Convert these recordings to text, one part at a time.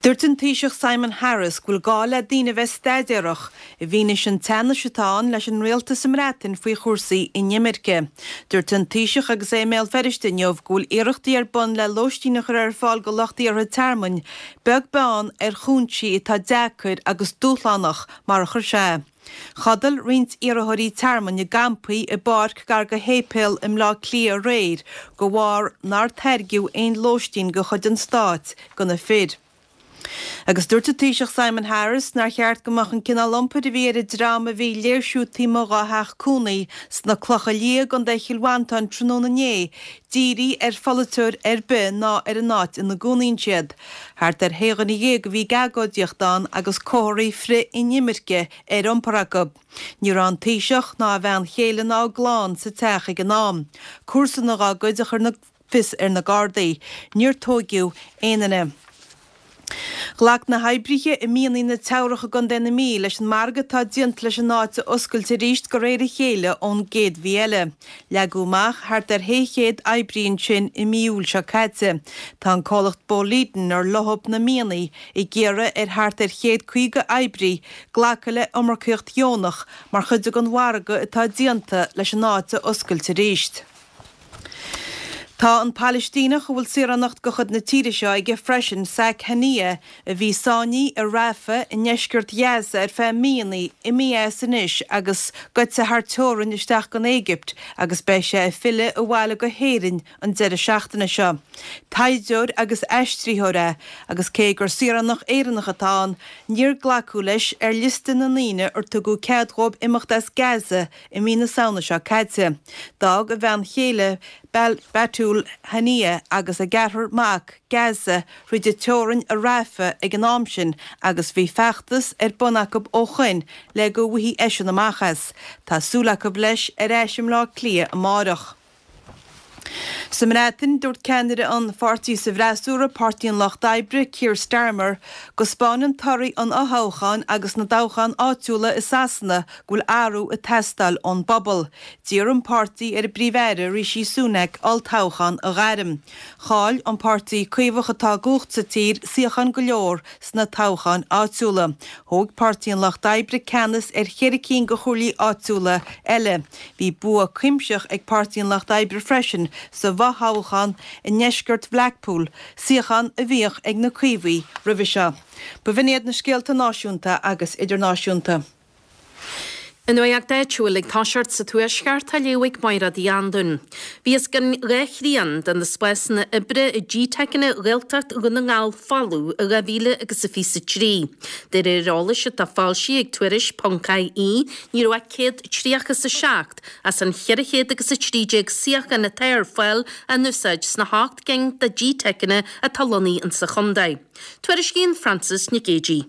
Dúirt an Taoiseach Simon Harris go bhfuil gá le daoine a bheith staidéarach i bhfianaise an teannais atá ann leis an rialtas sa mBreatain faoi chúrsaí inimirce. Dúirt an Taoiseach agus é i mBéal Feirste inniu go bhfuil iarrachtaí ar bun le lóistín a chur ar fáil go lucht iarrtha tearmainn, beag beann ar chúinsí atá deacair agus dúshlánach, mar a chuir sé. Chodail roinnt iarrthóirí tearmainn i gcampaí i bpáirc gar go shéipéal i mBleá Cliath aréir de bharr nár tairgeadh aon lóistín de chuid an stáit do na fir. Agus dúirt an Taoiseach Simon Harris nár cheart go mbeadh an cineál iompair a bhí ar an dream a bhí ag léirsiú taobh amuigh dá theach cónaí sna Clocha Liatha i gContae Chill Mhantáin tráthnóna inné dírithe ar pholaiteoir ar bith ná ar an áit ina gcónaíonn siad. Thart ar shé dhuine dhéag a bhí ag agóidíocht ann agus comharthaí frith-inimirce ar iompar acu. Ní raibh an Taoiseach ná a bhean chéile ná a gclann sa teach ag an am. Comharsana dá gcuid a chuir fios ar na Gardaí. Níor tóigeadh aon duine. Ghlac na hoibrithe i mianaigh na Teamhrach i gContae na Mí leis an margadh atá déanta leis an áit a oscailt arís de réir a chéile ón gcéad mhí eile. Leagadh amach thart ar 600 oibrí ansin i mí Iúil seo caite. Tá an comhlacht Boliden ar leo na mianaigh ag iarraidh ar thart ar 150 oibrí glacadh le iomarcaíocht dheonach mar chuid den mhargadh atá déanta leis an áit a oscailt arís. Tá an Palaistíneach, a bhfuil saoránacht de chuid na tíre seo aige freisin, Saiq Haniyeh, a bhí sáinnithe i Rafah i ndeisceart Ghaza ar feadh míonna, imithe as anois agus gaibhte thar teorainn isteach gon Éigipt agus beidh sé ag filleadh abhaile go hÉirinn an deireadh seachtaine seo. Taighdeoir agus aistritheoir é agus cé gur saoránach Éireannach atá ann, níor glacadh leis ar liosta na ndaoine ar tugadh cead dhóibh imeacht as Gaza I mí na Samhna seo caite, d'fhág a bhean chéile Batoul Haniyeh agus a gceathrar mac Gaza thríd an teorainn i Rafah ag an am sin agus bhí feachtas ar bun acu ó shoin le go bhfaighidh eisean amach as. Tá súil acu leis ar ais i mBleá Cliath amáireach. Sa mBreatain, dúirt ceannaire an pháirtí sa bhfreasúra, Páirtí an Lucht Oibre, Keir Starmer, go 'spáineann torthaí an fhothoghcháin agus na dtoghchán áitiúla i Sasana go bhfuil athrú ag teastáil ón bpobal. D'iarr an páirtí ar an bPríomh-Aire, Rishi Sunak, olltoghchán a ghairm. Chaill an páirtí Caomhach atá i gcumhacht sa tír suíocháin go leor sna toghcháin áitiúla. Thóg Páirtí an Lucht Oibre ceannas ar cheithre cinn de chomhairlí áitiúla eile. Bhí bua cuimsitheach ag Páirtí an Lucht Oibre freisin sa bhfothoghchán i ndeisceart Bhlackpool, suíochán a bhíodh ag na Caomhaigh roimhe seo. B'in iad na scéalta náisiúnta agus idirnáisiúnta. An nuacht áitiúil ag toiseacht sa Tuaisceart á léamh ag Mairéad Uí Anluain. Bhí os cionn 2 thrian de na spásanna oibre i GTeiceanna Ghaeltacht Dhún na nGall folamh i 2023. De réir eolais atá foilsithe ag Tuairisc ponc IE, ní raibh ach 137 as an 413 suíochán atá ar fáil á n-úsáid sna hocht gcinn de GTeiceanna atá lonnaithe insa chontae. Tuairiscíonn Frances Nic Géadaigh.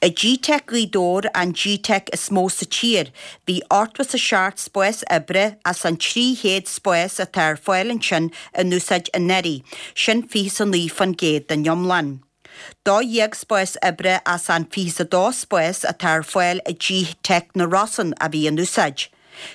I GTeic Ghaoth Dobhair, an GTeic is mó sa tír, bhí 87 spás oibre as an 300 spás atá ar fáil ansin in úsáid anuraidh, sin 29% den iomlán. 12 spás oibre as an 22 spás atá ar fáil i GTeic na Rosann a bhí in úsáid.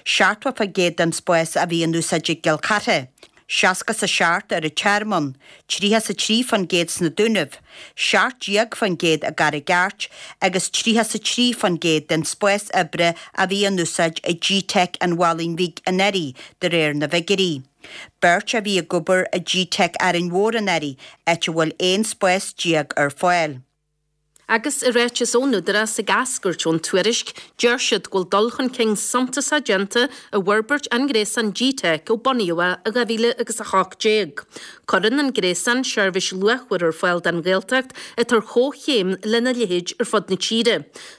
70% den spás a bhí in úsáid i gCill Chartha. 67 ar an Tearmann, 33% sna Dúnaibh, 17% i gCarraig Airt agus 33% den spás oibre a bhí in úsáid i GTeic an Mhallaing Bhig anuraidh, de réir na bhfigiúirí. Beirt a bhí ag obair i GTeic Árainn Mhór anuraidh, áit a bhfuil 11 spás ar fáil. Agus i ráiteas ón Údarás ag eascairt ón tuairisc, deir siad go bhfuil dul chun cinn suntasach déanta i bhforbairt an ghréasáin GTeic ó bunaíodh é i 2018. Cuireann an gréasán seirbhís luachmhar ar fáil don Ghaeltacht atá ar chomhchéim lena leithéid ar fud na tíre.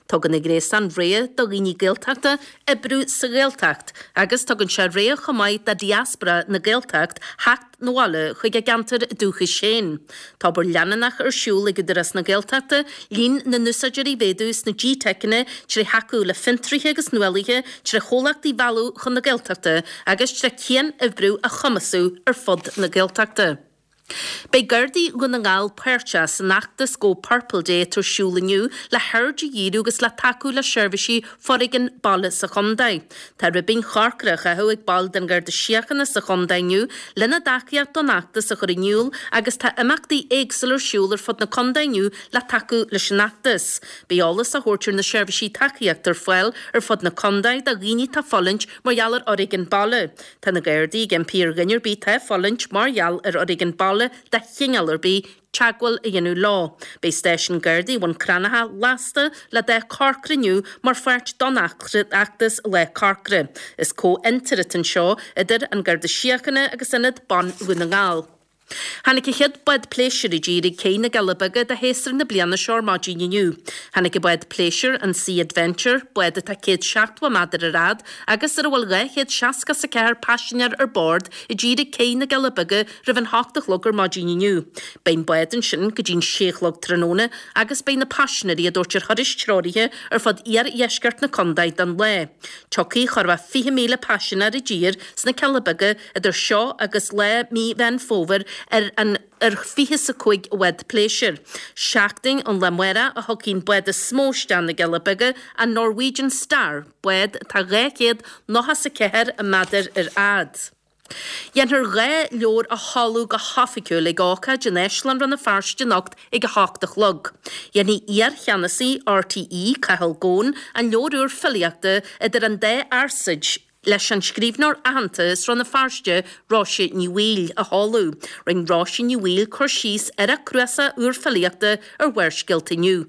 Tugann an gréasán rogha do dhaoine Gaeltachta oibriú sa Ghaeltacht agus tugann sé rogha chomh maith do diaspora na Gaeltacht theacht 'na bhaile chuig a gceantar dúchais féin. Tá obair leanúnach ar siúl ag Údarás na Gaeltachta líon na n-úsáideoirí a mhéadú sna GTeiceanna tré thacú le fiontraithe agus nuálaithe, tré chomhlachtaí a mhealladh chun na Gaeltachta agus tré cian-oibriú a chumasú ar fud na Gaeltachta. Beidh Gardaí Dhún na nGall páirteach san fheachtas Go Purple Day atá ar siúl inniu le haird a dhíriú agus le tacú le seirbhísí foréigin baile sa chontae. Tá ribín chorcra á chaitheamh ag baill den Gharda Síochána sa chontae inniu lena dtacaíocht don fheachtas a chur in iúl agus tá imeachtaí éagsúla ar siúl ar fud na contae inniu le tacú leis an fheachtas. Beidh eolas á thabhairt ar na seirbhísí tacaíochta ar fáil ar fud na contae do dhaoine atá ag fulaingt mar gheall ar fhoréigean baile. Tá na Gardaí ag impí ar dhuine ar bith atá ag fulaingt mar gheall ar fhoréigean baile de chineál ar bith, teagmháil a dhéanamh leo. Beidh stáisiún Gardaí Bhun Cranncha lasta le dath corcra inniu mar pháirt don fheachtas Lá Corcra. Is comhfhiontar atá anseo idir An Garda Síochána agus Ionad Ban Dhún na nGall. Tháinig an chéad bád pléisiúir i dtír ag Cé na gCealla Beaga do shéasúr na bliana seo ar maidin inniu. Tháinig an bád pléisiúir, an Sea Adventure, bád atá 170 méadar ar fhad agus ar a bhfuil 264 paisinéir ar bord, i dtír ag Cé na gCealla Beaga roimh an hocht a chlog ar maidin inniu. Beidh an bád ansin go dtí'n sé a chlog tráthnóna agus beidh na paisinéirí á dtabhairt ar thurais treoraithe ar fud iardheisceart na contae don lá. Tiocfaidh chóir a bheith 20,000 paisinéir i dtír sna Cealla Beaga Idir seo agus lá mí Mheán Fómhair ar an ar 25 bhád pléisiúir. Seachtain ón lá amárach a thiocfaidh an bád is mó isteach na gCealla Beaga, an Norwegian Star, bád atá 294 méadar ar fhad. Dhéanfar 2 leabhar a sheoladh go hoifigiúil ag ócáid in Áislann Rann na Feirste anocht ag 8 a chlog. Dhéanfaidh iar-cheannasaí RTÉ, Cathal Goan, an leabhar úr filíochta Idir an Dá Fhearsaid, leis an scríbhneoir aitheanta as Rann na Feirste, Róise Ní Bhaoill, a sheoladh. Rinne Róise Ní Bhaoill cur síos ar a cnuasach úr filíochta ar Bharrscéalta Inniu.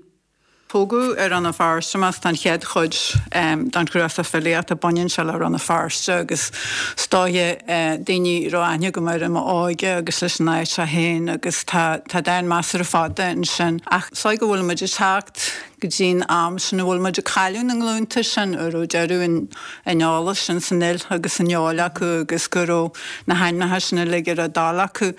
Tógadh i Rann na Feirste mé is tá an chéad chuid den chnuasach filíochta, baineann sé le Rann na Feirste agus is dóiche daoine a raibh aithne agam air i m'óige agus leis an áit é féin agus tá tá dán measartha fada ansin ach is dóigh go bhfuil muid ag teacht go dtí'n am sin a bhfuil muid ag cailleadh na nglúnta sin a raibh deireadh an an eolais sin san fhuil agus san fheoil acu agus go raibh na hainmneacha sin uilig ar a dtoil acu.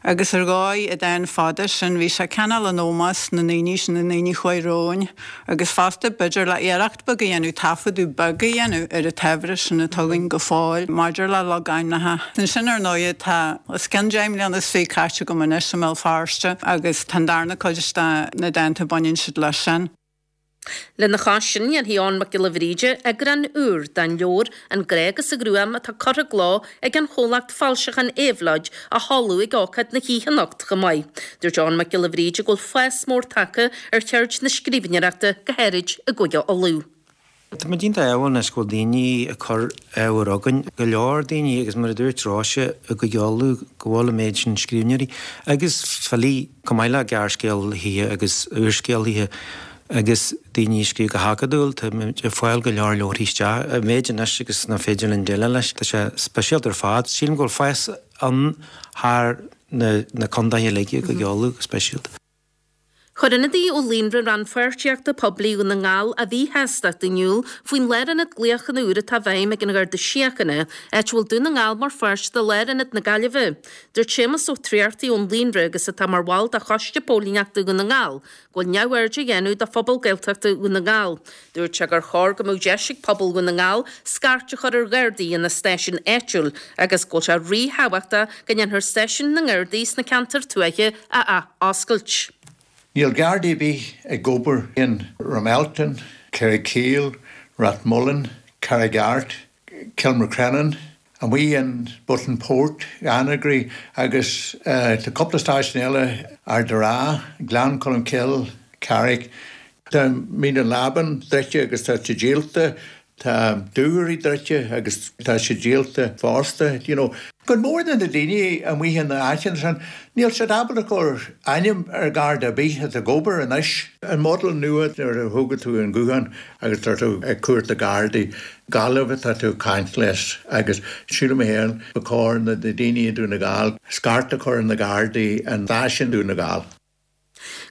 Agus ar dhóigh, an dán fada sin, bhí sé cineál in ómós na ndaoine sin, na ndaoine a chuaigh romhainn agus fosta b'fhéidir le iarracht beag a dhéanamh, taifeadadh beag a dhéanamh ar an tsaibhreas sin atá againn go fóill maidir le logainmneacha. Ansin ar ndóighe tá os cionn 10 mbliana is 20 caite agam anois i mBéal Feirste agus tá an darna cuid de na dánta baineann siad leis sin. Lena chois sin, dhéanfaidh Eoghan Mac Giolla Bhríde eagrán úr den leabhar An Grá agus an Ghruaim atá curtha i gcló ag an chomhlacht foilseacháin Éabhlóid a sheoladh ag ócáid na hoíche anocht chomh maith. Dúirt Eoghan Mac Giolla Bhríde go bhfuil fás mór tagtha ar cheird na scríbhneoireachta, go háirid i gCúige Uladh. Tá muid iontach ádhúil anois go bhfuil daoine ag cur ábhar chugainn, go leor daoine agus mar a dúirt Róise i gCúige Uladh go bhfuil an méid sin scríbhneoirí agus filí chomh maith le gearrscéalaithe agus úrscéalaithe agus daoine ag scríobh go hacadúil. Tá muid ag fáil go leor leabharthaí isteach, an méid anois agus nach féidir linn déileáil leis. Tá sé speisialta ar fad. Sílim go bhfuil fás ann thar na contaetha uilig i gCúige Uladh go speisialta. Chuir ionadaí ó Líonra Rannpháirtíochta Poiblí Dhún na nGall a mhíshástacht in iúl faoin lárionad glaochanna úr atá i bhfeidhm ag an Gharda Síochána, áit a bhfuil Dún na nGall mar pháirt de lárionad na Gaillimhe. Dúirt Séamus Ó Tríartaigh ón Líonra agus atá mar bhall de Choiste Póilíneachta Dhún na nGall, go bhfuil neamhaird á dhéanamh de phobal Gaeltachta Dhún na nGall. Dúirt sé gur chóir go mbeadh deis ag pobal Dhún na nGall scairt a chur ar Ghardaí ina stáisiún áitiúil agus go bhfuil sé ríthábhachtach go ndéanfar stáisiúin na nGardaí sna ceantair tuaithe a ath-oscailt. Níl Gardaí ar bith ag obair in Ramelton, Kerrykeel, Rathmullan, Carraig Art, Kilmacrennan, amuigh in Burtonport, Annagry agus tá cúpla stáisiún eile, Ard a' Rátha, Gleann Cholm Cille, Carrick. Tá Mín an Lábáin druidte agus tá sé díolta. Tá Dúchoraidh druidte agus tá sé díolta fosta. You know. Cuid mhór de na daoine amuigh in na áiteanna sin, níl siad ábalta cur ainm ar Gharda ar bith atá ag obair anois. An model nua nuair a thógann tú an guthán agus tá tú ag cuartú Gardaí, Gaillimh atá tú ag caint leis agus sílim féin ba chóir na daoine i Dún na Gall scairt a chur ar na Gardaí an stáisiún Dún na Gall.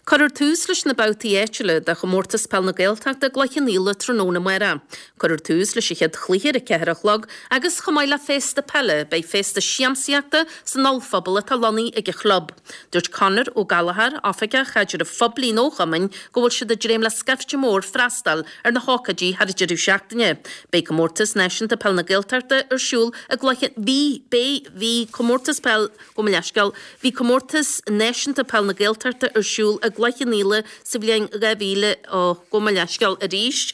Cuirfear tús leis na babhtaí áitiúla de Chomórtas Peil na Gaeltachta i gCloich Cheann Fhaola tráthnóna amárach. Cuirfear tús leis an chéad chluiche ar a 4 a chlog agus chomh maith le féasta peile beidh féasta siamsaíochta san ollphuball atá lonnaithe ag an chlub. Dúirt Conor Ó Gallchóir, Oifigeach Chaidrimh Phoiblí an Chumainn, go bhfuil siad ag dréim le scaifte mór freastal ar na hócáidí thar an deireadh seachtaine. Beidh Comórtas Náisiúnta Peil na Gaeltachta ar siúl i gCloich Cheann Bhí, beidh, bhí Comórtas Peil Gabh mo leithscéal, bhí Comórtas Náisiúnta Peil na Gaeltachta ar siúl i gCloich Cheann Fhaola sa bhliain 2000, ó, gabh mo leithscéal arís.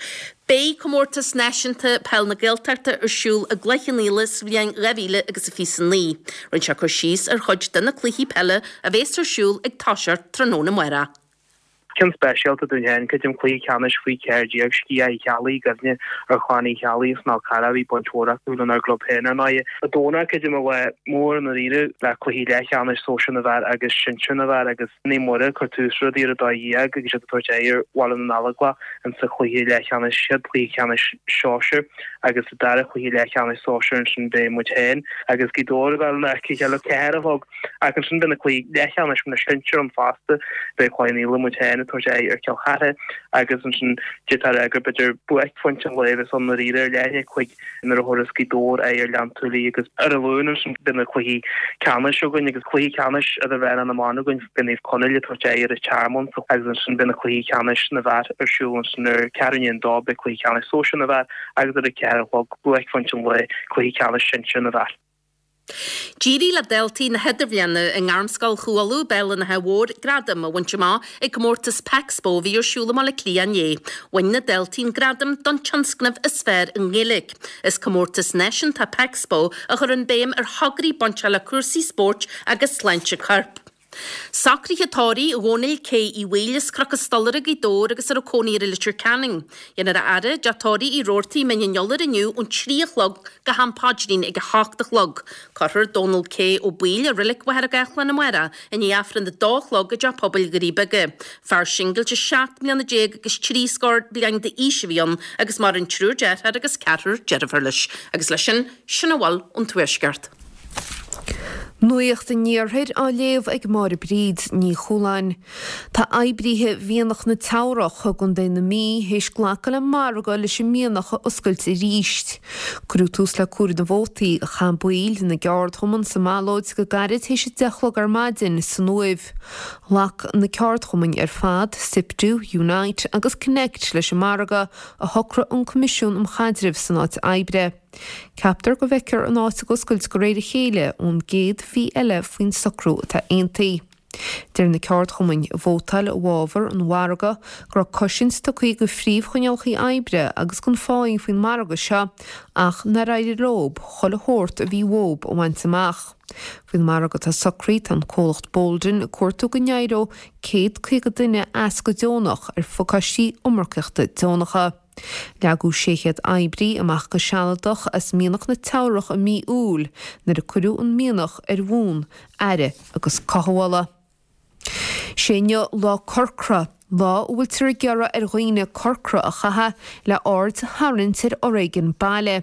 Beidh Comórtas Náisiúnta Peil na Gaeltachta ar siúl i gCloich Cheann Fhaola sa bhliain 2029. Rinne sé cur síos ar chuid de na cluichí peile a bhéas ar siúl ag toiseacht tráthnóna amárach. Ceann speisialta dúinn féin, creidim, cluiche ceannais faoi 14, Sciath Uí Cheallaigh, i gcuimhne ar chlann Uí Cheallaigh as an Fhál Carrach, bhí baint mhór acu lenár gclub féin ar ndóigh. An Domhnach, creidim, an lá mór i ndáiríre le cluichí leathcheannais sóisir na bhfear agus sinsir na bhfear agus Naomh Muire ag cur tús rudaí ar 12:00 agus iad ag tabhairt aghaidh ar Bhaile na nGallóglach insa chluiche leathcheannais, chéad chluiche ceannais sóisir agus sa dara cluiche leathcheannais sóisir ansin beidh muid féin agus Gaoth Dobhair ag dul in aice a chéile 4 a chlog. Ach ansin beidh na cluichí leathcheannais na sinsear ann fosta, beidh Cloich Cheann Fhaola, muid féin, ag tabhairt aghaidh ar Chill Chartha agus ansin d'fhéadfá a rá gur b'fhéidir buaicphointe an lae a bheas ann ndáiríre ar leath i ndiaidh 5 nuair a thabharfas Gaoth Dobhair aghaidh ar Ghleann tSúilí agus ar an Luan ansin beidh na cluichí ceannais againn agus cluiche ceannais idirmheánach na mban againn, beidh Naomh Conaill ag tabhairt aghaidh ar an Tearmann agus ansin beidh na cluichí ceannais na bhfear ar siúl ansin ar ceathrú i ndiaidh a dó beidh cluiche ceannais sóisir na bhfear agus ar a 4 a chlog buaicphointe an lae, cluiche ceannais sinsir na bhfear. D'éirigh le daltaí na hIdirbhliana i nGairmscoil Chú Uladh, Béal an Átha Mhóir, gradam a bhaint amach ag comórtas Pexpo a bhí ar siúl i mBaile Átha Cliath inné. Bhain na daltaí an gradam don tionscnamh is fearr i nGaeilge. Is comórtas náisiúnta Pexpo a chuireann béim ar thograí bainteach le cúrsaí spóirt agus sláinte coirp. Socruithe tórraimh Dhónaill K. Uí Bhaoill as Cnoc an Stolaire, Gaoth Dobhair agus a raibh cónaí air i Leitir Ceanainn. Déanfar a fhaire i dTeach Tórraimh Uí Robhartaigh, Mín an Iolair inniu ón 3 a chlog go ham paidrín ag 8 a chlog. Cuirfear Dónal K. Ó Baoill i Reilig Mhachaire Gathlán amárach i ndiaidh Aifreann 2 a chlog i dTeach Pobail Dhoirí Beaga. Fear singilte 17 mbliana agus 3 scór bliain d'aois a bhí ann agus maireann triúr deartháir agus ceathrar deirfiúr leis. Agus leis sin, sin a bhfuil ón Tuaisceart. Nuacht an Iarthair á léamh ag Máire Bríd Ní Chualáin. Tá oibríthe mhianach na Teamhrach i gContae na Mí théis glacadh le margadh leis an mianach a oscailt arís. Cuireadh tús le comhaireamh na vótaí a chaith baill na gceardchumann sa mballóid go gairid théis a 10 a chlog ar maidin san Uaimh. Ghlac na ceardchumainn ar fad, Siptu, Unite agus Connect leis an margadh a shocraigh an Coimisiún um Chaidreamh san Áit Oibre. Ceaptar go bhfeicfear an áit ag oscailt de réir a chéile ón gcéad mhí eile faoin socrú atá aontaithe. Deir na ceardchumainn a vótáil i bhfabhar an mhargaidh go raibh cosaint tugtha do phríomhchoinníollacha oibre agus don pháí faoin margadh seo ach nár éirigh leob chuile shórt a bhí uathub a bhaint amach. Faoin margadh atá socraithe tá an comhlacht Boldon ag cuartú go n-éireodh 150 duine as go deonach ar phacáistí iomarcaíochta deonacha. Leagadh 600 oibrí amach go sealadach as mianach na Teamhrach i mí Iúil nuair a cuireadh an mianach ar bhonn aire agus cothabhála. Sé inniu Lá Corcra, lá a bhfuiltear ag iarraidh ar dhaoine corcra a chaitheamh le aird a tharraingt ar fhoréigean baile.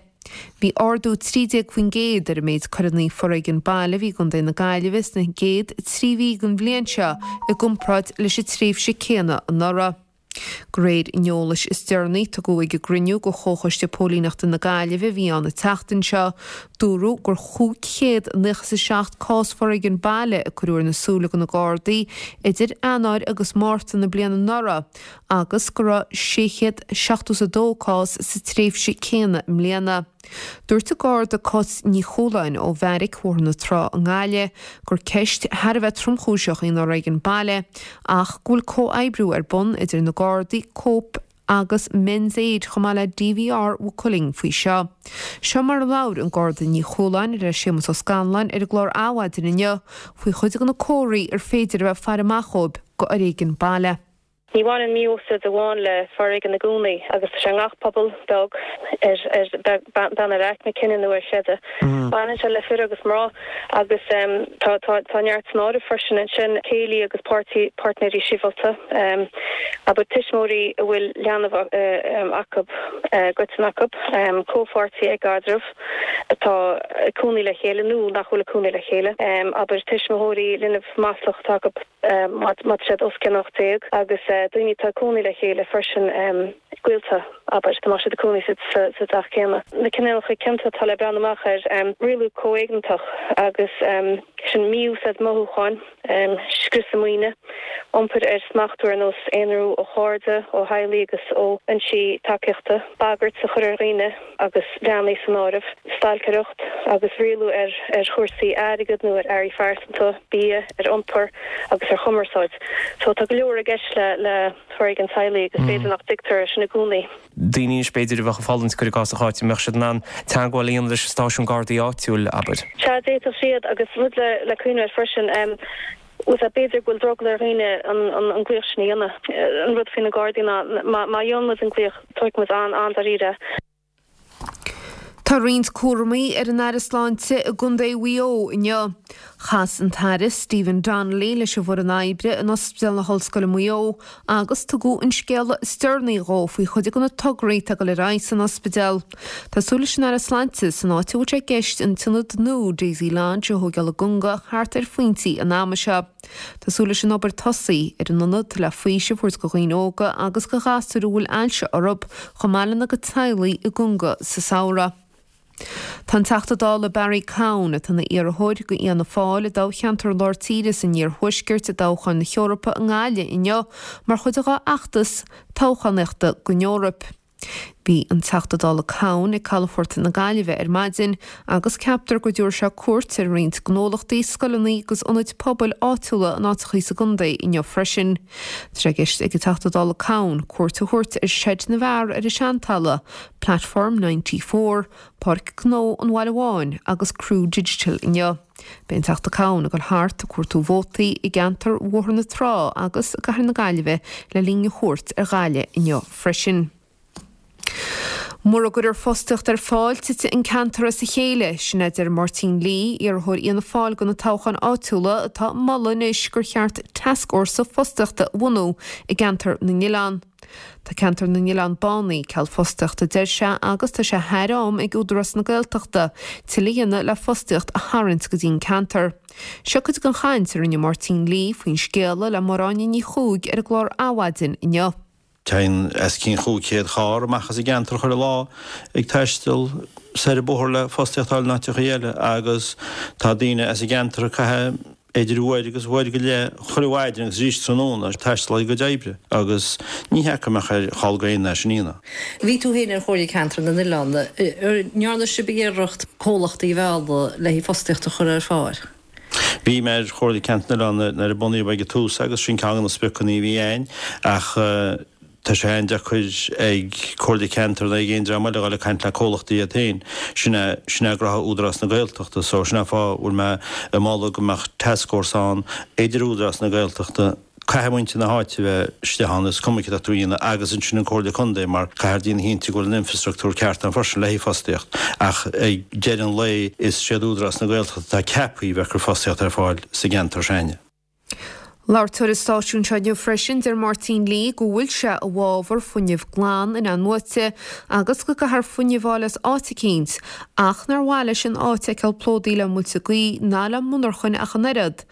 Bhí ardú 13% ar an méid coireanna foréigean baile a bhí i gContae na Gaillimhe sna gcéad 3 mhí den bhliain seo i gcomparáid leis an tréimhse céanna anuraidh. De réir an eolais is deireanaí, tugadh ag an gcruinniú de Chomhchoiste Póilíneachta na Gaillimhe a bhí ann an tseachtain seo, dúradh gur 597 cás foréigean baile a cuireadh ar na súile do na Gardaí idir Eanáir agus Márta na bliana anuraidh agus go raibh 672 cás sa tréimhse céanna i mbliana. Dúirt an Garda Cáit Ní Chualáin ó Bheairic Bhóthar na Trá i nGaillimh gur ceist thar a bheith tromchúiseach í an fhoréigean baile ach go bhfuil comhoibriú ar bun idir na Gardaí, Cope agus Men's Aid chomh maith le DVR Mhaigh Cuilinn faoi seo. Seo mar a labhair an Garda Ní Chualáin le Séamus Ó Scanláin ar an gclár Adhmhaidin inniu faoi chuid de na comharthaí ar féidir a bheith ag faire amach dhóibh go fhoréigean baile. Ní bhaineann mí-úsáid amháin le foréigean i gcónaí agus tá sé i ngach pobal beag, ar beann ar aicme, cine nó ar chreideamh. Baineann sé le fir agus mná agus tá tá tá neart san áireamh freisin ansin, céilí agus páirtí páirtnéirí sibhialta, abair tuismitheoirí a bhfuil leanbh acu, i gcoiteann acu, comhpháirtithe i gcaidreamh atá ag cónaí le chéile nó nach bhfuil ag cónaí le chéile, abair tuismitheoirí linbh maslach atá acu má tá siad os cionn 18 agus daoine atá ag cónaí le chéile freisin. gaolta, abair, dá mbeadh siad ag cónaí sa teach céanna. Na cineálacha cionta atá le breathnú amach air, rialú comhéigneach agus sin mí-úsáid mothúcháin, scriosadh maoine, iompar ar smachtú ar nós aonrú ó chairde, ó theaghlaigh agus ó fhoinsí tacaíochta, bagairt a chur ar dhaoine agus leanaí san áireamh, stailceireacht agus rialú ar chúrsaí airgid nó ar earraí phearsanta, bia, ar iompar agus ar chumarsáid. So tá go leor i gceist le. foréigean teaghlaigh agus b'fhéidir nach dtuigtear é sin i gcónaí. Daoine anois b'fhéidir a bheadh ag fulaingt, cuir i gcás, sa cháit, an mbeadh siad in ann teagmháil a dhéanamh leis an stáisiún Gardaí áitiúil, abair? Sea, d'fhéadfadh siad agus rud le cuimhneamh air freisin, bhfuil a fhios agat, b'fhéidir go bhfuil drogall ar dhaoine an glaoch sin a dhéanamh. An rud faoi na Gardaí ná má dhéanann muid an glaoch, tógfaidh muid an-dáiríre é. Tá roinnt cúramaí ar an Aire Sláinte i gContae Mhaigh Eo inniu. Chas an tAire Stephen Donnelly leis an bhfoireann oibre in Ospidéal na hOllscoile Maigh Eo agus tugadh an scéala is deireanaí dhó faoi chuid de na tograí atá ag dul ar aghaidh san ospidéal. Tá súil leis an Aire Sláinte san áit a bhfuil sé i gceist an t-ionad nua Daisy Lodge a thóigeáil i gConga thart ar phointí an ama seo. Tá súil leis an obair tosaí ar an ionad le faoiseamh a thabhairt do dhaoine óga agus do ghasúir a bhfuil ailse orthu chomh maith lena gcuid teaghlaigh i gConga sa samhradh. Tá an Teachta Dála Barry Cowen, atá ina iarrthóir do Fhianna Fáil i dtoghcheantar Lár Tíre san Iarthuaisceart i dtoghchán na hEorpa i nGaillimh inniu mar chuid dá fheachtas toghchánaíochta don Eoraip. Bhí an Teachta Dála Cowen ag Calafort na Gaillimhe ar maidin agus ceaptar go dtabharfaidh sé cuairt ar roinnt gnólachtaí, scoileanna agus ionaid pobail áitiúla in áiteachaí sa gcontae inniu freisin. Tá sé i gceist ag an Teachta Dála Cowen cuairt a thabhairt ar Seid na bhFear ar an Seantalamh, Platform 94, Páirc Gnó an Bhaile Bháin agus Crew Digital inniu. Beidh an Teachta Cowen ag dul thart ag cuartú vótaí i gceantar Bhóthar na Trá agus i gcathair na Gaillimhe le linn a chuairt ar Ghaillimh inniu freisin. Mura gcuirfear fostaíocht ar fáil, titfidh an ceantar as a chéile, sin a deir Máirtín Lee, iarrthóir Fhianna Fáil do na toghcháin áitiúla atá ag moladh anois gur cheart tascfhórsa fostaíochta a bhunú i gceantar na nOileán. Tá ceantar na nOileán bánaithe ceal fostaíochta a deir sé agus tá sé thar am ag Údarás na Gaeltachta tuilleadh a dhéanamh le fostaíocht a tharraingt go dtí an ceantar. Seo cuid den chaint a rinne Máirtín Lee faoin scéala le Máire Áine Ní Chuaig ar an gclár Adhmhaidin inniu. Téann os cionn 500 carr amach as an gceantar chuile lá ag taisteal soir an bóthar le fostaíocht a fháil in áiteachaí eile agus tá daoine as an gceantar ag caitheamh idir uair agus uair go leith chuile mhaidin agus arís tráthnóna ag taisteal ag a gcuid oibre agus ní hea go mbeadh ar chall go aon duine sin a dhéanamh. Bhí tú féin ar Chomhairle Ceantair na nOileán. An ndearna sibh iarracht comhlachtaí a mhealladh le haghaidh fostaíocht a chur ar fáil? Bhí mé ar Chomhairle Ceantair na nOileán nuair a bunaíodh ag an tús agus sin ceann de na spriocanna a bhí againn ach Tá sé an-deacair ag Comhairle Ceantair nó ag aon dream eile a dhul ag caint le comhlachtaí iad féin. Sin é, sin é gnoithe Údarás na Gaeltachta. So, sin é an fáth a bhfuil mé ag moladh go mbeadh tascfhórsa ann idir Údarás na Gaeltachta, caithfidh muintir na háite a bheith istigh ann, is cuma céard atá tú a dhéanamh, agus ansin an Comhairle Contae mar caithfear déanamh cinnte go bhfuil an infrastructúr ceart ann freisin le haghaidh fostaíocht. Ach ag deireadh an lae is siad Údarás na Gaeltachta atá ceaptha a bheith ag cur fostaíocht ar fáil sa gceantar s'againne. Labhairteoir an stáisiúin seo inniu freisin, deir Máirtín Lee go bhfuil sé i bhfabhar fuinneamh glan in-athnuaite agus go gcaithfear fuinneamh a fháil as áit eicínt ach nár mhaith leis an áit a fheiceáil plódaithe le muilte gaoithe ná le monarchain ach an oiread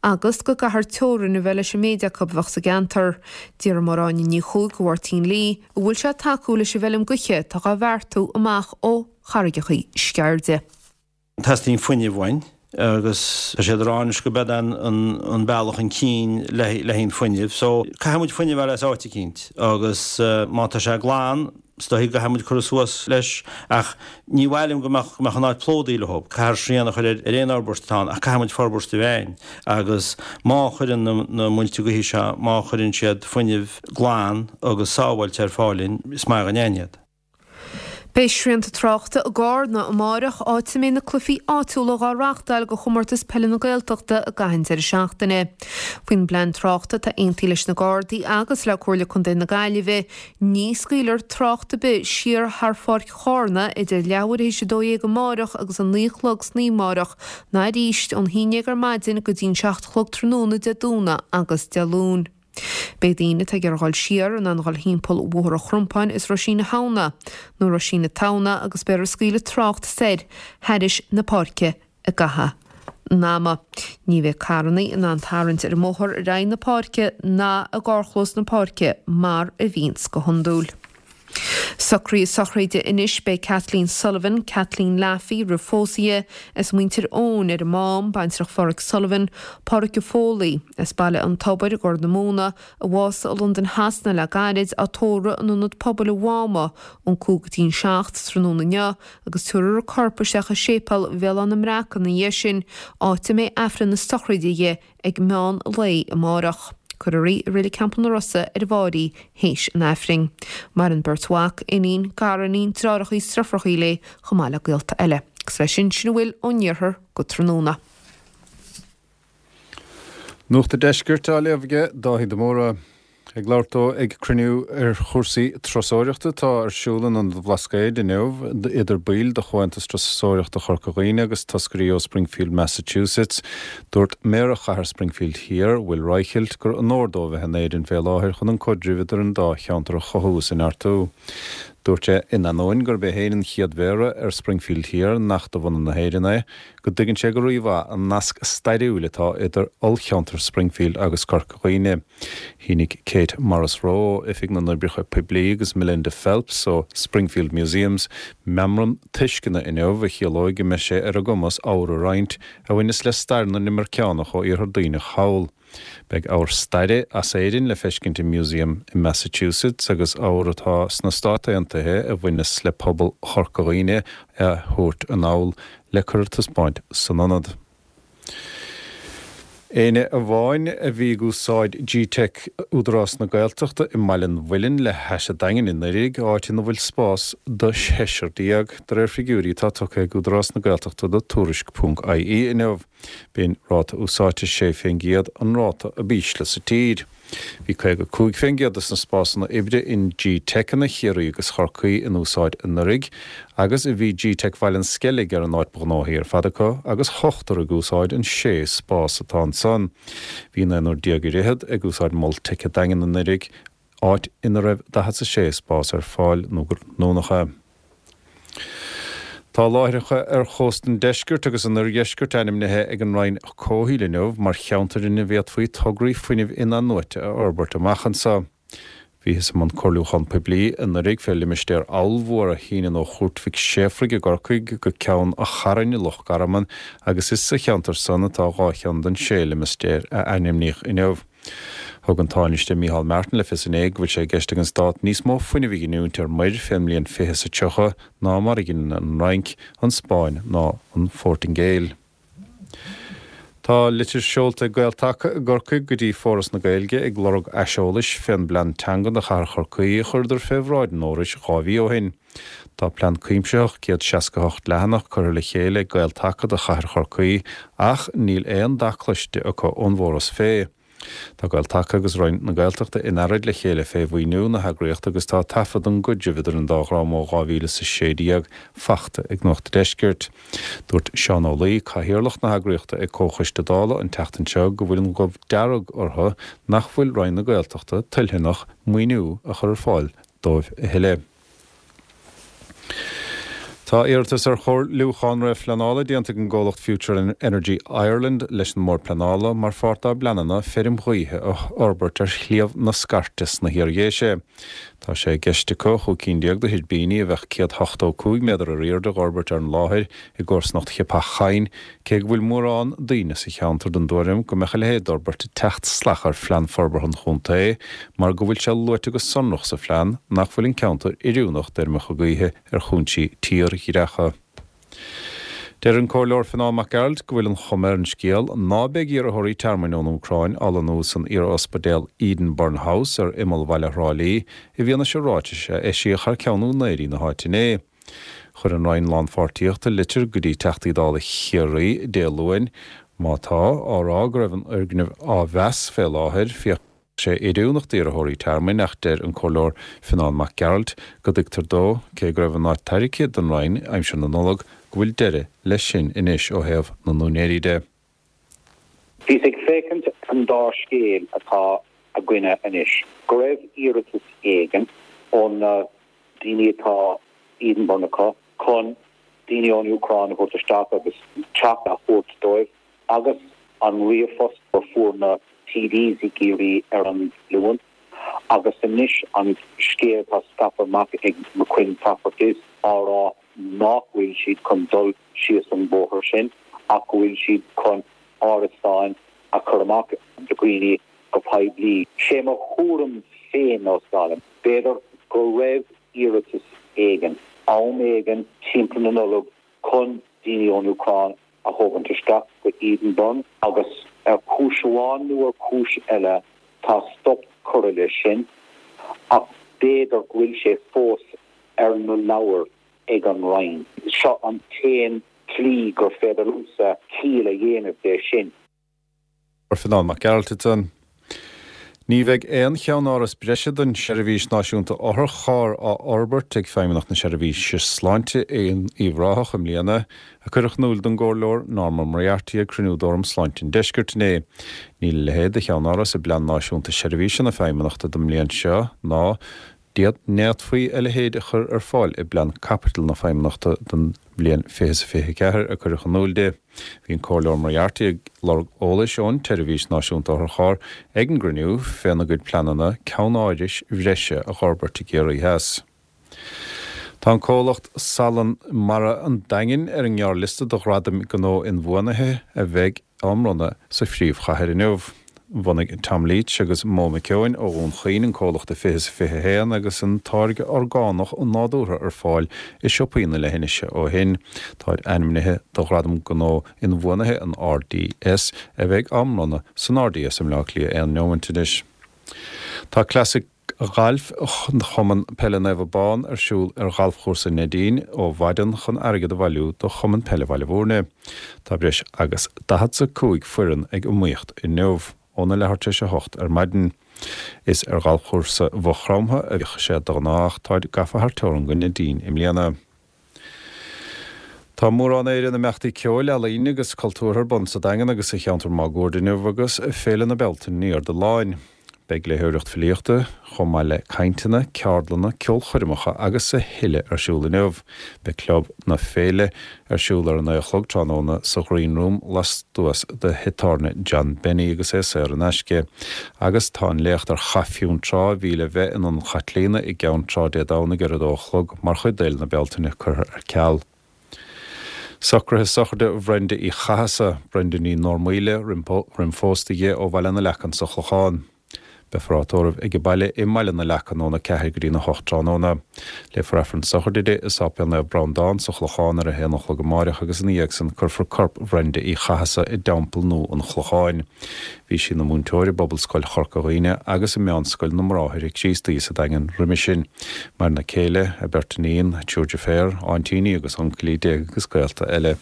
agus go gcaithfear teorainn a bheith leis an méid acu a bheadh sa gceantar. D'fhiafraigh Máire Áine Ní Chuaig de Mháirtín Lee an bhfuil sé ag tacú leis an bhfeilm gaoithe atá dhá bheartú amach ó Charraigeachaí Sceirde. Teastaíonn fuinneamh uainn agus tá siad ag rá anois go b'ead an bealach chun cinn le haghaidh an fuinneamh. So caithfidh muid fuinneamh a fháil as áit eicínt agus má tá sé glan, is dóichí go gcaithfidh muid cur suas leis ach ní mhaith liom go mbeadh go mbeadh an áit plódaithe leo. Caithfear srian a chur ar aon fhorbairt atá ann ach caithfidh muid forbairt a bheith ann agus má chuireann na muilte gaoithe seo, má chuireann siad fuinneamh glan agus sábháilte ar fáil linn, is maith againn iad. Beidh srianta tráchta i gCarna amáireach, áit a mbeidh na cluichí áitiúla dhá reachtáil do Chomórtas Peile na Gaeltachta i gcaitheamh an deireadh seachtaine. Faoin bplean tráchta atá aontaithe leis na Gardaí agus le Comhairle Contae na Gaillimhe, ní scaoilfear trácht ar bith siar thar Pháirc Chárna idir leathuair théis 12 amáireach agus a 9 a chlog san oíche amáireach ná arís ón 11 ar maidin go dtí'n 7 a chlog tráthnóna Dé Domhnaigh agus Dé Luain. Beidh daoine atá ag iarraidh dhul siar in ann dhul thimpeall Bhóthar an Chrompáin is Roisín na hAbhna, nó Roisín na Tamhna agus beifear ag scaoileadh trácht soir thairis na páirce i gcaitheamh an ama. Ní bheidh carrannaí in ann tarraingt ar an mbóthar ar aghaidh na páirce ná i gcarrchlós na páirce mar a bhíonns go hiondúil. Socruithe sochraide anois Beidh Kathleen Sullivan, Kathleen Laffey roimh phósadh di, as Muintir Eoin ar an Mám, baintreach Pháraic Sullivan, Páraic Foley, as Baile an Tobair i gCorr na Móna, a bhásaigh i Londain Shasana le gairid, á tórramh in Ionad Pobail an Mháma ón 5 go dtí'n 7 tráthnóna inniu agus tabharfar a corp isteach i Séipéal Bhéal Átha na mBreac ina dhiaidh sin, áit a mbeidh Aifreann na sochraide di ag meán lae amárach. Cuirfear í i Reilig Theampall na Rosa ar an bhFáirí théis an Aifrinn. Maireann beirt mhac, iníon, gariníon, deartháireacha is deirfiúracha léi chomh maith le gaolta eile. Agus leis sin, sin a bhfuil ón iarthar go tráthnóna. Nuacht an Deiscirt á léamh aige Dáithí de Mórdha. Ag labhairt dó ag cruinniú ar chúrsaí turasóireachta atá ar siúl in Ionad an Bhlascaoid inniu, idir baill de Chomhaontas Turasóireachta Chorca Dhuibhne agus toscairí ó Springfield, Massachusetts, dúirt Méara Chathair Springfield Thiar, Will Reichelt, gur onóir dó a bheith in Éirinn fé láthair chun an caidreamh idir an dá cheantar a chothú is a neartú. Dúirt sé, in ainneoin gurb é féin an chéad Mhéara ar Springfield Thiar nach de bhunadh na hÉireann é, go dtuigeann sé go rímhaith an nasc stairiúil atá idir ollcheantar Springfield agus Corca Dhuibhne. Shínigh Kate Morrisroe ó Oifig na nOibreacha Poiblí agus Melinda Phelps ó Springfield Museums meamram tuisceana inniu a chiallóidh go mbeidh sé ar a gcumas ábhar a roinnt a bhaineas le stair na n-imirceánach ó Iarthar Duibhneach thall. Beidh ábhar staire as Éirinn le feiscint i Museum i Massachusetts agus ábhar atá sna Stáit Aontaithe a bhaineas le pobal Chorca Dhuibhne á thabhairt anall le cur ar taispeáint san ionad. Éinne amháin a bhí ag úsáid G-Teic Údarás na Gaeltachta i mBaile an Mhuilinn le hais an Daingin i nDoire, áit ina bhfuil spás do sheisear de réir figiúirí atá tugtha ag Údarás na Gaeltachta do Tuairisc ponc ie inniu. B'in ráta úsáidte 6% an ráta ab ísle sa tír. Bhí 55% de na spásanna oibre in G-Teiceanna Chiarraí agus Chorcaí in úsáid anuraidh agus bhí G-Teic Bhaile an Sceilg ar an áit ba ghnóthaí ar fad acu agus ochtar ag úsáid an sé spás atá ansan. Bhí naonúr déag ar fhichead ag úsáid Mol Teic an Daingin anuraidh, áit ina raibh 46 spás ar fáil nó go 90. Tá láithreacha ar chósta an deiscirt agus an oirdheiscirt ainmnithe ag an Roinn Comhshaoil inniu mar cheantair ina bhféadfaí tograí fuinnimh in-athnuaite a fhorbairt amach anseo. Bhíothas i mbun comhairliúchán poiblí anuraidh fé limistéar ollmhór a shíneann ó Chúirt Mhic Séafraidh i gCorcaigh go Ceann a' Chairn i Loch Garman agus is sa cheantar san atá 2 cheann den sé limistéar a ainmníodh inniu. Thug an Tánaiste Micheál Martin le fios inné go bhfuil sé i gceist ag an Stát níos mó fuinnimh a ghiniúint ar muir fén mbliain fiche is a 30 ná mar a ghineann an Fhrainc, an Spáinn ná an Phortaingéil. Tá litir seolta ag Gael-Taca i gCorcaigh go dtí Foras na Gaeilge ag lorg aiseolais fén bplean teanga do chathair Chorcaí a chuireadar fé bhráid an Fhorais 2 mhí ó shin. Tá plean cuimsitheach 168 leathanach curtha le chéile ag Gael-Taca do chathair Chorcaí ach níl aon dath cloiste acu ón bhForas fé. Tá Gael-Taca agus Roinn na Gaeltachta in earraid le chéile fé mhaoiniú na heagraíochta agus tá taifead den gcuidreamh idir an dá dhream ó 2016 fachta ag Nuacht an Deiscirt. Dúirt Seán Ó Laoi, Cathaoirleach na heagraíochta ag Comhchoiste Dála an tseachtain seo go bhfuil an ghoimh dearg orthu nach bhfuil Roinn na Gaeltachta toiltheanach maoiniú a chur ar fáil dóibh a thuilleadh. Tá iarratas ar chomhairliúchán réamhphleanála déanta ag an gcomhlacht Future Energy Ireland leis an mBord Pleanála mar pháirt dá bpleananna feirm ghaoithe a fhorbairt ar Shliabh na Scairte sna hIardhéise. Tá sé i gceist acu 15 cinn de thuirbíní a bheadh 185 méadar ar airde a dh'fhorbairt ar an láthair i gcomharsanacht Cheapach Choinn Cé go bhfuil mórán daoine sa cheantar den dtuairim go mbeadh a leithéid d'fhorbairt ag teacht salach ar phlean forbartha an chontae mar go bhfuil sé luaite go sonrach sa phlean nach bhfuil an ceantar oiriúnach d'fheirmeacha gaoithe ar chúinsí tírdhreacha. Deir an Comhairleoir Fionán Mac Gearailt go bhfuil an chuma ar an scéal ná beidh iarrthóirí tearmainn ón Úcráin á lonnú san iar-ospidéal Edenburn House ar imeall bhaile Thrá Lí i bhfianaise ráitis a eisíodh thar ceann úinéirí na háite inné. Chuir an Roinn Lánpháirtíochta litir go dtí Teachtaí Dála Chiarraí Dé Luain, má tá, á rá go raibh an fhoirgneamh á mheas fé láthair. Bheadh sé oiriúnach d'iarrthóirí tearmainn ach deir an Comhairleoir Fionán Mac Gearailt go dtuigtear dó, cé go raibh an áit tairgthe don Roinn aimsir na Nollag, go bhfuil deireadh leis sin anois ó thaobh na n-úinéirí de. Bhíos ag féachaint ar an dá scéal atá againne anois, go raibh iarratas éigin ó na daoine atá Edenburn acu chun daoine ón Úcráin a thabhairt isteach agus teach a thabhairt dóibh agus an ríomhphost a fuair na TDs i gCiarraí ar an Luan agus anois an scéal atá scaipthe amach ag McQuinn Properties á rá nach bhfuil siad chun dul síos an bóthar sin ach go bhfuil siad chun árasáin a chur amach do dhaoine go poiblí. Sé mo thuairim féin ná, b'fhéidir go raibh iarratas éigin, am éigin timpeall na Nollag chun daoine ón Úcráin a thógaint isteach go Edenburn agus ar chúis amháin nó ar chúis eile tá stop curtha leis sin ach b'fhéidir go bhfuil sé fós ar na leabhair ag an Roinn. Seo an t-aon tslí gur féidir liomsa ciall a dhéanamh de sin. Fionán Mac Gearailt ansan. Ní bheidh aon cheannáras breise don tSeirbhís Náisiúnta Otharcharr á fhorbairt ag Feidhmeannacht na Seirbhíse Sláinte in Uíbh Ráthach i mbliana, a cuireadh in iúl don gComhairleoir Norma Moriarty ag cruinniú d'Fhóram Sláinte an Deiscirt inné. Níl a leithéid de cheannáras i bPlean Náisiúnta Seirbhíse na Feidhmeannachta don mbliain seo ná D'fhéadfaí a leithéid a chur ar fáil i bPlean Caipitil na Feidhmeannachta don bhliain 2024, a cuireadh in iúl di. Bhí an Comhairleoir Moriarty ag lorg eolais ón tSeirbhís Náisiúnta Otharcharr ag an gcruinniú féna gcuid pleananna ceannárais bhreise a dh'fhorbairt i gCiarraí Theas. Tá an comhlacht Salann Mara an Daingin ar an ngearrliosta do Ghradaim Gnó Inbhuanaithe a bheidh á mbronnadh sa phríomhchathair inniu. Bhunaigh Tom Leech agus Mo McKeown ó Dhún Chaoin an comhlacht i 2021 agus an táirge orgánach nádúrtha ar fáil i siopaí na leithinise ó shin. Táid ainmnithe do Ghradam Gnó Inbhuanaithe an RDS a bheidh á mbronnadh san RDS i mBleá Cliath aon neomant anois. Tá Cleasaigh Ghailf Chumann Peile Naomh Abán ar siúl ar Ghalfchúrsa Neidín ó mhaidin chun airgead a bhailiú do Chumann Peile Bhaile Bhúirne. Tá breis agus 45 foireann ag iomaíocht inniu, óna leathuair tar éis a hocht ar maidin. Is ar Ghalfchúrsa Mhaigh Chromtha a bhíodh sé de ghnáth ach táid gafa thar teorann go Neidín i mbliana. Tá mórán Éireann imeachtaí ceoil, ealaíne agus cultúrtha ar bun sa Daingean agus sa cheantar máguaird inniu agus Féile na Bealtaine ní ar do láin. Beidh léitheoireacht filíochta, chomh maith le cainteanna, ceardlanna, ceolchoirmeacha agus a thuilleadh ar siúl inniu. Beidh Club na Féile ar siúl ar a naoi a chlog tráthnóna sa Ghreen Room lastuas de thigh tábhairne John Benny agus é saor in aisce. Agus tá an léacht ar Chath Fionntrá a bhí le bheith in Ionad Chaitlíona i gCeann Trá Dé Domhnaigh ar a dó a chlog mar chuid d'Fhéile na Bealtaine curtha ar ceal. Socruithe sochraide Bhrenda Uí Chathasa, Brenda Ní Normhaoile, roim phósta di ó Bhaile na Leacan sa Chlochán. Beifear á tórramh age baile i mBaile na Leacan óna 4 go dtí na 8 tráthnóna. Léifear Aifreann sochraide di i Sáipéal Naomh Breandán sa Chlochán ar a haon a chlog amáireach agus ina dhiaidh san cuirfear corp Bhrenda Uí Chathasa i dTeampall Nua an Chlocháin. Bhí sí ina múinteoir i bPobalscoil Chorca Dhuibhne agus i Meánscoil na mBráithre Críostaí sa Daingean roimhe sin. Maireann a céile, a beirt iníon, a triúr deirféar, aintíní agus uncailí déag agus gaolta eile.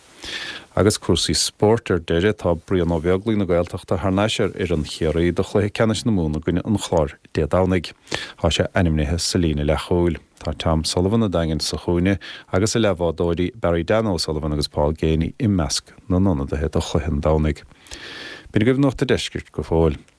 Agus cúrsaí spóirt ar deireadh, tá Brian Ó Beaglaoich na Gaeltachta thar n-ais ar fhoireann Chiarraí do chluiche ceannais na Mumhan i gcoinne an Chláir Dé Domhnaigh. Tá sé ainmnithe sa líne leathchúil. Tá Tom Sullivan an Daingin sa chúinne agus a leathbhádóirí Barry Dan O'Sullivan agus Paul Geaney i measc na n-ionadaithe do chluiche an Domhnaigh. B'in agaibh Nuacht a' Deiscirt go fóill.